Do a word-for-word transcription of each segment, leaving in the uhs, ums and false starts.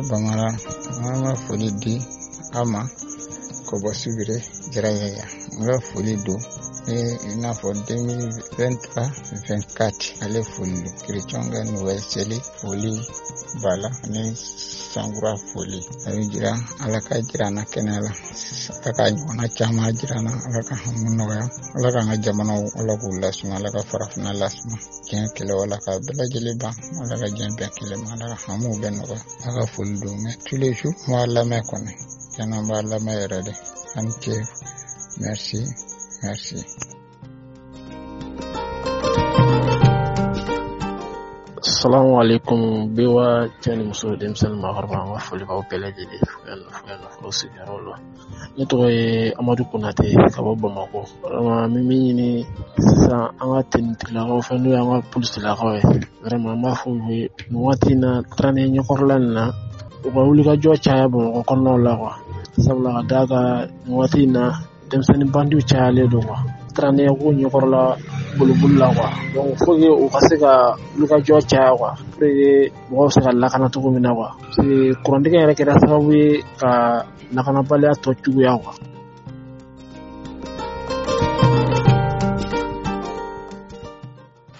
Bamara, an ka foli di aw ma ka bɔ Sibiri Jarayaya. N ka foli don i n'a fɔ deux mille vingt-trois vingt-quatre ale foli don. Kerecɛnw ka Noël seli foli b'a la ani sankura foli. A bɛ jira Ala ka jira an na kɛnɛya la, Ala ka ɲɔgɔnna caman jira an na, Ala ka hami nɔgɔya, Ala k'an ka jamanaw Ala k'u lasuma, Ala ka farafinna lasuma, diɲɛ kɛlɛ Ala ka bɛɛ lajɛlen ban, Ala ka diɲɛ bɛn kelen ma, Ala ka hamiw bɛɛ nɔgɔya. Ala ka foli don mais tous les jours n b'a lamɛn kɔni, tiɲɛna n b'a lamɛn yɛrɛ de. A ni ce, merci, merci. Assalamu alaikum B O A cɛ ni muso denmisɛnnin maakɔrɔba, an ka foli b'aw bɛɛ lajɛlen fo yan nɔ, fo yan nɔ, fo sigiyɔrɔ la. Ne tɔgɔ ye Amadu Konate ka bɔ Bamakɔ. Vraiment n bɛ min ɲini sisan an ka tenitigilakaw fɛ n'o y'an ka polisilakaw ye, vraiment an b'a fɔ u ye nin waati in na Taranɛ ɲɛkɔrɔla nin na, u ka wulikajɔ caya Bamakɔ kɔnɔnaw la quoi. Sabula ka d'a kan nin waati in na denmisɛnnin bandiw cayalen don quoi. Taranɛ ko ɲɛkɔrɔla boliboli la quoi. Donc faut que u ka se ka wulikajɔ caya quoi, pour que mɔgɔw bɛ se ka lakana cogo min na quoi. Parce que kurantigɛ yɛrɛ kɛra sababu ye ka lakanabaliya tɔ juguya quoi.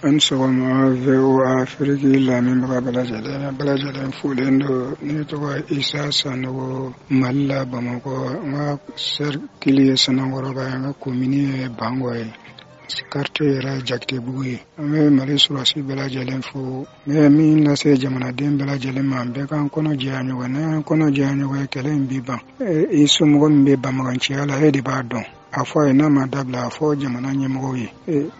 An sɔgɔma V O A Afiriki lamɛnbaga bɛɛ lajɛlen, bɛɛ lajɛlen folen don. Ne tɔgɔ Isa Sanogo, Mali la Bamakɔ. N ka cercle ye Sanankɔrɔba ye, n ka commune ye Bangɔ ye, quartier yɛrɛ Jakitebugu ye. An bɛ Mali sɔrɔdasi bɛɛ lajɛlen fo. N bɛ min lase jamanaden bɛɛ lajɛlen ma, bɛɛ k'an kɔnɔ jɛya ɲɔgɔn ye. N'an kɔnɔ jɛya ɲɔgɔn ye, kɛlɛ in bi ban. I somɔgɔ min bɛ banbaganciya la, e de b'a dɔn. A fɔ a ye n'a ma dabila, a fɔ jamana ɲɛmɔgɔw ye.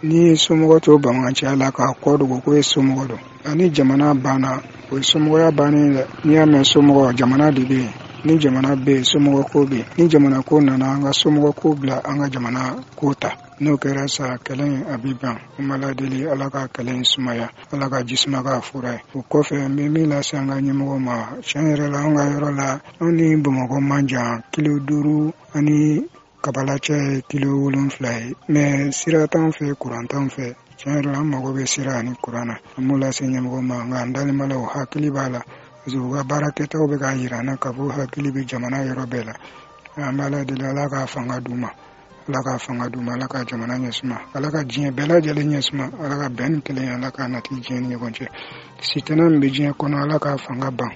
N'i ye somɔgɔ to banbaganciya la k'a kɔ dogo ko e somɔgɔ don, ani jamana banna, o ye somɔgɔya bannen dɛ. N'i y'a mɛn somɔgɔ, jamana de bɛ yen. Ni jamana bɛ yen, somɔgɔ ko bɛ yen. Ni jamana ko nana, an ka somɔgɔ ko bila, an ka jamana ko ta. N'o kɛra sa, kɛlɛ in a bɛ ban. An b'a ladeli Ala ka kɛlɛ in sumaya, Ala ka ji suma k'a fura ye. O kɔfɛ, n bɛ min lase an ka ɲɛmɔgɔw ma, tiɲɛ yɛrɛ la, an ka yɔrɔ la, anw ni Bamakɔ man jan, kilo duuru ani kabala cɛ ye kilo wolonfila ye. Mais sira t'anw fɛ, kuran t'anw fɛ. Tiɲɛ yɛrɛ la, an mago bɛ sira ani kuran na. An b'o lase ɲɛmɔgɔw ma, nka an dalen b'a la, o hakili b'a la. Parce que u ka baara kɛtaw bɛ k'a jira an na k'a fɔ hakili bɛ jamana yɔrɔ bɛɛ la. An b'a ladeli Ala k'a fanga d'u ma, Ala k'a fanga d'u ma, Ala ka jamana ɲɛsuma, Ala ka diɲɛ bɛɛ lajɛlen ɲɛsuma, Ala ka bɛn ni kelenya, Ala k'a nati diɲɛ ni ɲɔgɔn cɛ. Sitanɛ min bɛ diɲɛ kɔnɔ, Ala k'a fanga ban.